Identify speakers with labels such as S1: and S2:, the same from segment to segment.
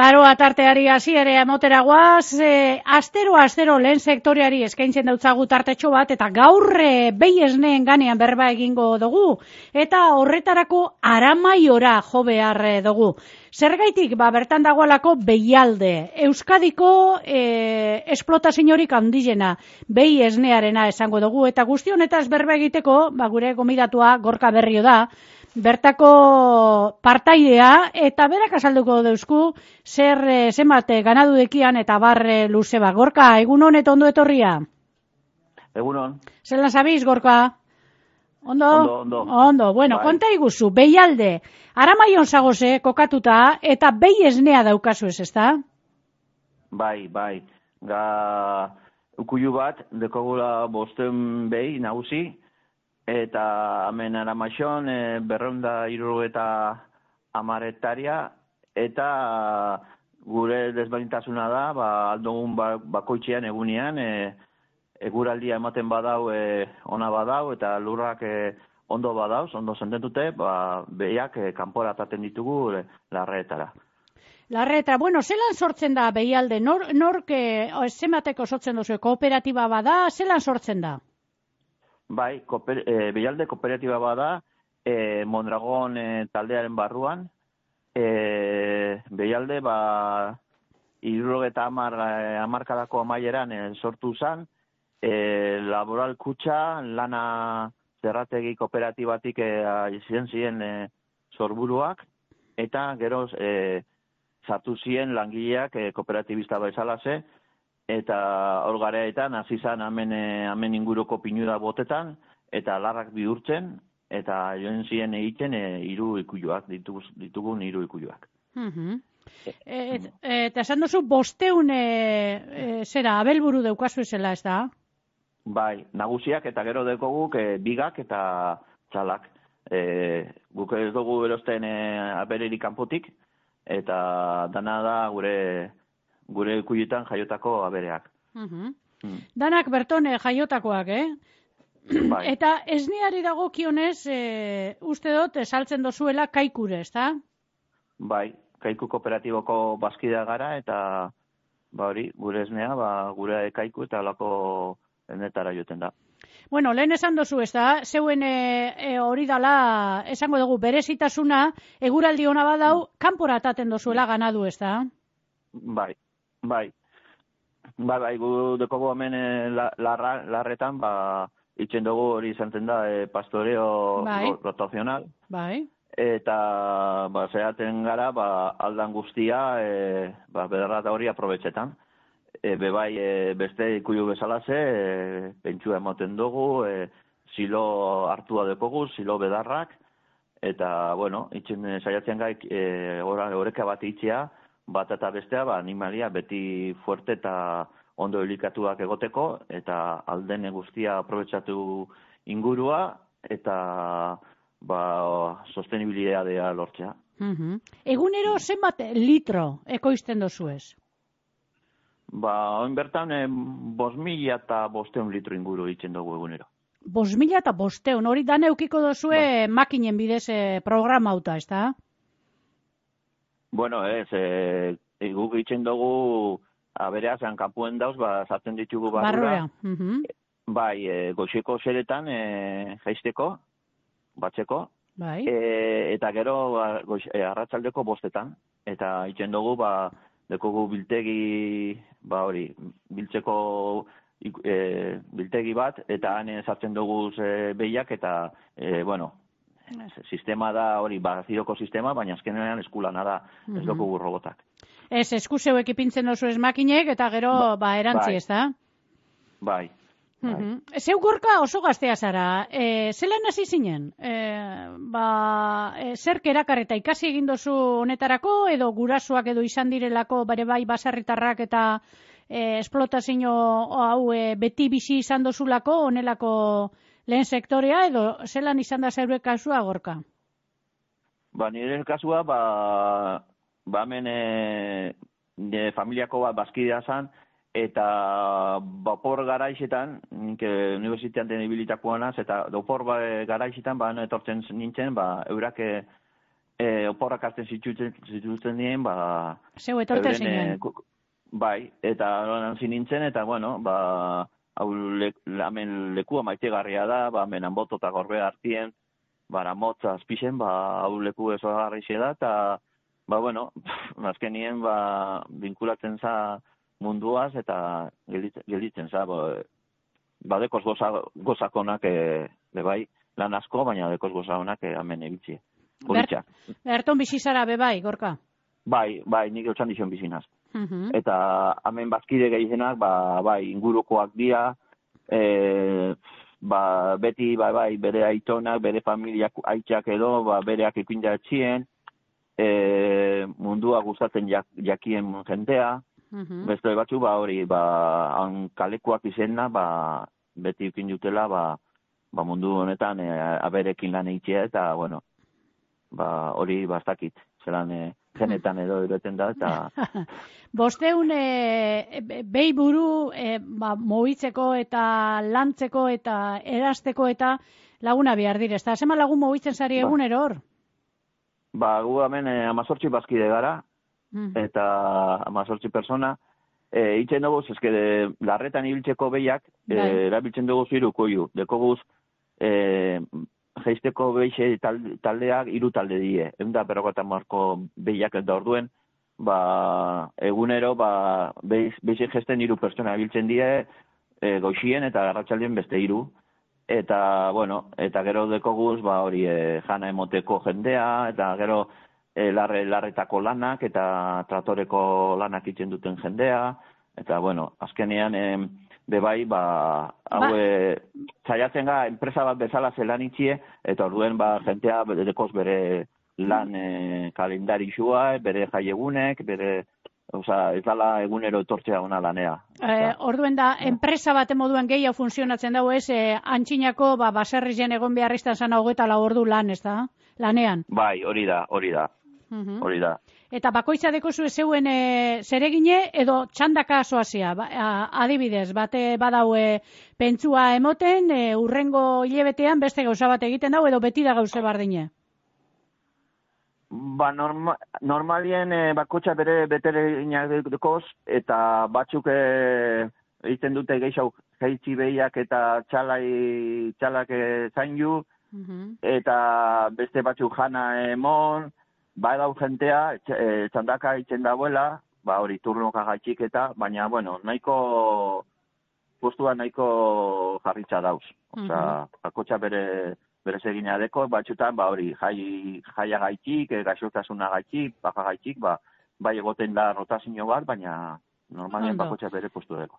S1: Garoa tarteari hasi ere emotera guaz, astero lehen sektoreari eskaintzen dautzagu tartetxo bat, eta gaur behi esneen ganean berba egingo dugu, eta horretarako Aramaiora jo behar dugu. Zergaitik, bertan dagoelako Behialde, Euskadiko esplotaziorik handiena, behi esnearena esango dugu, eta guzti honetaz berba egiteko, gure gomidatua Gorka Berrio da, bertako partaidea, eta berak azalduko deuzku zenbat ganadu dekian eta barre luze bat. Gorka, egunon eta ondo etorria?
S2: Egunon.
S1: Zelan zabiz, Gorka? Ondo? Ondo. Bueno, bai. Konta iguzu, Behialde, Aramaion zagoze kokatuta, eta behi esnea daukazu ezta?
S2: Bai. Ukuilu bat, dekogula 500 behi nagusi, eta hemen Aramaixon 270 hektaria, eta gure desberdintasuna da, aldogun bakoitzean egunean, eguraldia ematen badau, ona badau, eta lurrak ondo badauz, ondo sententute, behiak kanpora ataten ditugu larreetara.
S1: Larreetara, bueno, zelan sortzen da Behialde? Nork zenbateko sortzen duzu? Kooperatiba bada, zelan sortzen da?
S2: Bai, Behialde kooperatiba bada, Mondragon taldearen barruan, Behialde 70 hamarkadako amaieran sortu zen, laboral kutxa, lana zerrategi kooperatibatik ziren sorburuak, eta gero sartu ziren langileak kooperatibista bezalaze, eta hor gareetan hasi zen hemen inguruko pinura botetan, eta larrak bihurtzen, eta joan ziren egiten 3 ikuiluak, ditugun 3 ikuiluak.
S1: Eta esan duzu 500 abelburu daukazu zela, ez da?
S2: Bai, nagusiak eta gero dekoguk bigak eta txalak. Guk ez dugu erosten abererik kanpotik, eta dana da gure ikuilutan jaiotako abereak.
S1: Danak berton jaiotakoak,
S2: Bai.
S1: Eta esneari dagokionez, uste dut, saltzen dozuela kaikure, ez da?
S2: Bai, kaiku kooperatiboko bazkidea gara, eta gure esnea, gure kaiku eta lako enetara joten da.
S1: Bueno, lehen esan dozu, ez da, zeuen hori dala, esango dugu, berezitasuna, eguraldi ona badau, kanpora ataten dozuela ganadu, ez da?
S2: Bai, gu dekogu hemen larretan, itzen dugu hori izantzen da pastoreo rotazional.
S1: Bai.
S2: Eta zehaten gara aldan guztia bederrata hori aprobetxetan. Beste ikuilu bezalaze, pentsua ematen dugu, silo hartua dekogu, silo bedarrak, eta, itzen saiatzen gaik horeka bat itxea, bat eta bestea, animalia beti fuerte eta ondo elikatuak egoteko, eta alden guztia aprobetxatu ingurua, eta sostenibilitatea lortzea.
S1: Egunero zenbat litro ekoizten dozu ez?
S2: Oin bertan 5.500 litro inguru itzen dugu egunero.
S1: 5.500, hori dan eukiko dozue makinen bidez programauta, ez da?
S2: Bueno, guk itzen dugu aberea zean kanpuen dauz, sartzen ditugu barrura. Bai, goxeko zeretan jaisteko, batzeko, eta gero arratsaldeko 5etan. Eta itzen dugu, dekogu biltegi, biltzeko biltegi bat, eta han sartzen dugu behiak, eta, sistema da hori, ziroko sistema, baina azkenean eskulana da, ez dugu robotak.
S1: Ez, eskuzeuek ipintzen dozu ez makinek, eta gero, erantzi, ez da?
S2: Bai.
S1: Zeu Gorka oso gaztea zara, zelan hasi zinen? Zerk erakarreta ikasi egin dozu honetarako, edo gurasoak edo izan direlako bare bai baserritarrak eta esplotazio hau beti bizi izan dozulako, honelako lehen sektorea, edo zelan izan da zeure kasua, Gorka?
S2: Nire kasua, hemen familiako bat bazkidea zan, eta opor garaizetan, nik universitatean den ibilitakoanaz, eta opor garaizetan, etortzen nintzen, eurak oporrak hartzen zituzten dien, ba...
S1: Zeu etorte zinen.
S2: Bai, eta hantzi nintzen, eta bueno, ba, hau hemen lekua maitegarria da, ba, hemen Anboto eta Gorbea hartien, bara motza azpixen, ba, hau leku ezogarri da, eta, ba, bueno, azkenien, ba, vinkulatzen za munduaz, eta gelditzen za, ba, dekoz gozakonak, bai, lan asko, baina dekoz gozakonak hemen egitzi.
S1: Berton bizizara bebai, Gorka?
S2: Bai, nik eutxan dizion bizinaz. Eta hemen bazkide gehienak, bai, ingurukoak dira, beti, bai, bere aitonak, bere familiak aitzak edo, bereak ipindatxien, mundua gustatzen jakien jendea, beste batzu, hori, kalekuak izena, beti ikin dutela, mundu honetan, aberekin lan eitzea, eta, bueno, hori bastakit, zelan genetan edo ereten da, eta...
S1: Bosteun behi buru mobitzeko eta lantzeko eta erasteko eta laguna behar dire. Eta zema lagun mobitzen zari egunero hor?
S2: Gu hemen 18 bazkide gara, eta 18 persona. Itzen dugu, eske larretan ibiltzeko behiak, erabiltzen dugu zirukoiu. Dekoguz, jeisteko behixe taldeak 3 talde die. Egun da perrokatan marko behiak eta orduen, egunero, behixe gesten 3 pertsona biltzen die, goxien eta garratxaldien beste 3. Eta, bueno, eta gero dekoguz, hori, jana emoteko jendea, eta gero larretako lanak, eta tratoreko lanak itzen duten jendea, eta, bueno, azkenean, bebai, zaiatzen ga, enpresa bat bezala zelan itxie, eta orduen, jentea dekoz bere lan kalendarixua, bere jaiegunek, bere, ez dala egunero etortzea ona lanea.
S1: Orduen da, enpresa bat moduan gehiago funtzionatzen dago ez, antxinako, baserri jen egon beharriztan zan 24 ordu lan, ez da? Lanean.
S2: Bai, hori da. Hori da.
S1: Eta bakoitza dekozu zeuen zeregine edo txandaka soazia. Adibidez, bate badaue pentsua emoten, urrengo hilebetean beste gauza bat egiten dago edo beti da gauze bardine?
S2: Normalien bakotxa bere betereinak dekoz, eta batzuk egiten dute gehiago jeitzi behiak eta txalak zainju, eta beste batzuk jana emon, dau jentea, txandaka itzen dagoela, hori turnoka gaitxik eta, baina, bueno, postua nahiko jarritza dauz. Osa, bakotxa bere segina deko, batxutan, hori, jaia gaitxik, gaixotasuna gaitxik, baja gaitxik, bai egoten da rotazio bat, baina normalien bakotxa bere postu deko.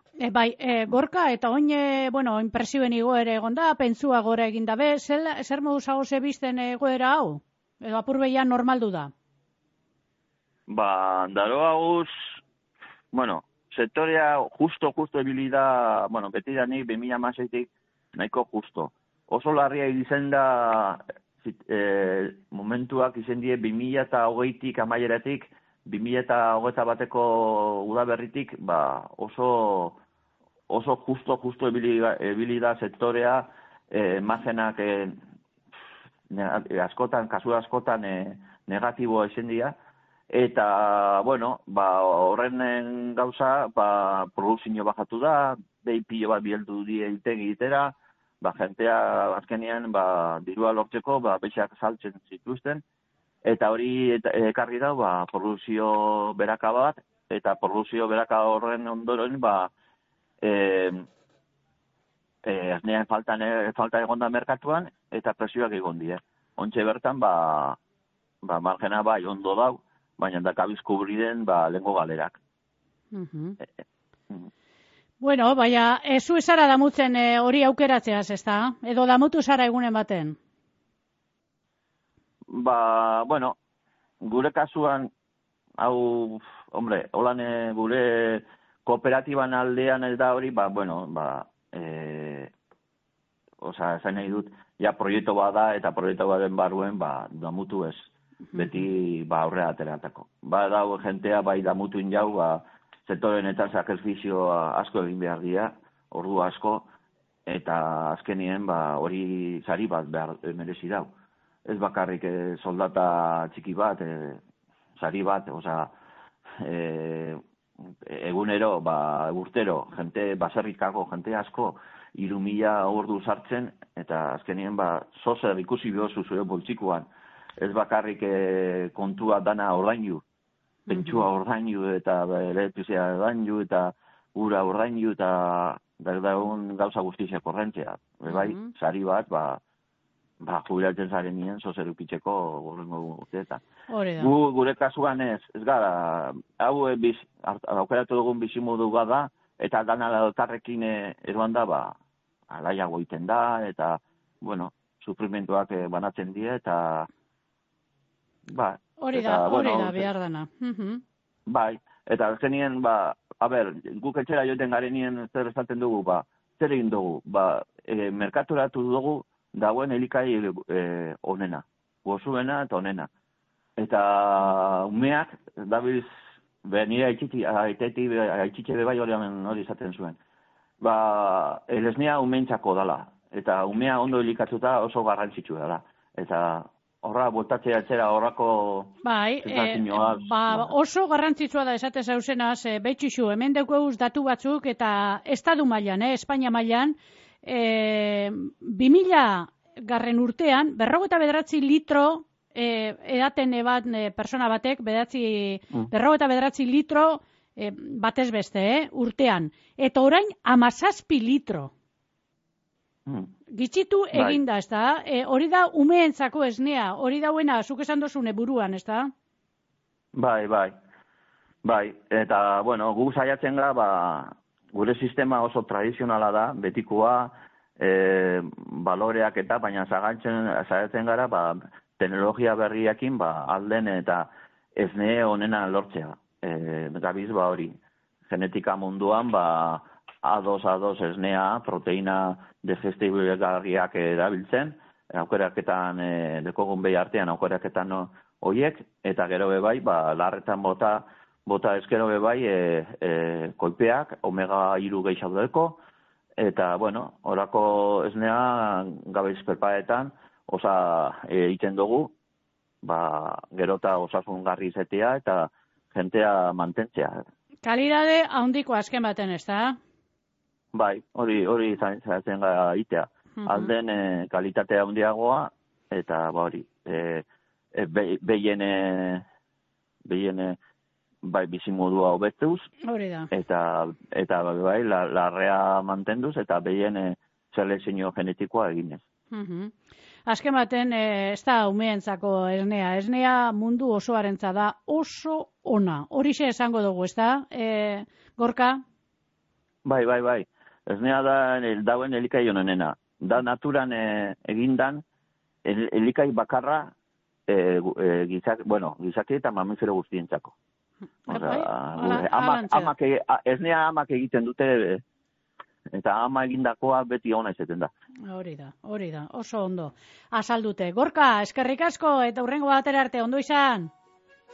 S1: Gorka, eta oin, inpresioen igoere egon da, pentsua gora egin dabe, zer moduz hau zebizten egoera hau? Edo apur behian normaldu da?
S2: Daro hauz, sektorea justo ebili da, beti da nik 2016-tik nahiko justo. Oso larria izen da momentuak izen die 2020-tik amaieratik, 2021-ko udaberritik, oso justo ebili da sektorea, mazenak kasu askotan negatiboa izen dira, eta, horren gauza, produzio bajatu da, behi pilo bat bieldu die egitera, jentea azkenean dirua lortzeko beixak saltzen zituzten, eta hori ekarri da produzio beraka bat, eta produzio beraka horren ondoren aznean falta egon da merkatuan, eta presioak egon die. Ontxe bertan, margena ondo dau, baina dakabiz kubriden lehengo galerak.
S1: Bueno, baina zu esara damutzen hori aukeratzeaz, ez da? Edo damutu zara egunen baten?
S2: Gure kasuan, hau, holan gure kooperatiban aldean ez da hori, esan nahi dut, proiektu bat da, eta proiektu baten barruen, damutu ez, beti aurrera ateratako. Dago jentea, damutu injau, sektorenetan sakrifizio asko egin behar dira, ordu asko, eta azkenien hori sari bat merezi dau. ez bakarrik soldata txiki bat, sari bat, egunero, urtero, jente, baserrikako jente asko, 3.000 ordu sartzen, eta azkenien, zozer ikusi behozu zure boltsikuan, ez bakarrik kontua dana ordainu, pentsua ordainu, eta elektrizia ordainu, eta ura ordainu, eta daun gauza guztiak korrentzea. Bai, sari bat, jubilatzen zaren nien, zozer ukitzeko gorrengo urteetan. Gure kasuan ez gara, hau aukeratu dugun bizimodu da, eta dana elkarrekin eroan da, alaiago egiten da, eta, sufrimentuak banatzen die, eta,
S1: hori da, behar dana.
S2: Bai, eta azkenien, guk etxera joten garenien zer esaten dugu, zer egin dugu, merkaturatu dugu, dagoen elikai onena, gozuena eta onena. Eta umeak, dabiz, nire aitzitxe bebai hori izaten zuen. Elesnea umeentzako dala, eta umea ondo elikatuta oso garrantzitsua dela. Eta horra, botatzea etxera horrako...
S1: oso garrantzitsua da esate zauzenaz, betxixu, hemen deukeuz datu batzuk, eta estadu mailan, Espainia mailan, 2000 garren urtean, 59 litro edaten bat persona batek, 59 litro batez beste, urtean. Eta orain 17 litro. Gitxitu eginda, ez da? Hori da umeentzako esnea, hori dauena, zuk esan dozune buruan, ez da?
S2: Bai. Eta, gu saiatzen gara, gure sistema oso tradizionala da, betikoa, baloreak eta, baina saiatzen gara, teknologia berriakin, alden eta esne honena lortzea. Gabiz, hori, genetika munduan, A2 esnea, proteina digestibilgarriak erabiltzen, aukeraketan, dekogun behi artean aukeraketan horiek, eta gero bebai, larretan bota eskero bebai, kolpeak, omega 3 gehiago, eta, orako esnea gabiz perpaetan, egiten dugu, gerota osasungarri izatea eta jentea mantentzea.
S1: Kalidade handiko azken baten, ez da?
S2: Bai, hori zaitzen gara itea. Alden kalitatea handiagoa, eta hori, behien bizimodua hobetuz, eta larrea mantenduz, eta behien selekzio genetikoa eginez.
S1: Azken baten, ez da umeentzako esnea. Esnea mundu osoarentza da oso ona. Horixe esango dugu, ez da, Gorka?
S2: Bai. Esnea dauen elikai honenena. Da naturan egindan elikai bakarra gizaki eta mamifero guztientzako. Esnea amak egiten dute, eta ama egindakoa beti ona izaten da.
S1: Hori da, oso ondo. Azaldute. Gorka, eskerrik asko, eta hurrengo batera arte, ondo izan?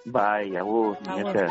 S2: Bai, agur, esker.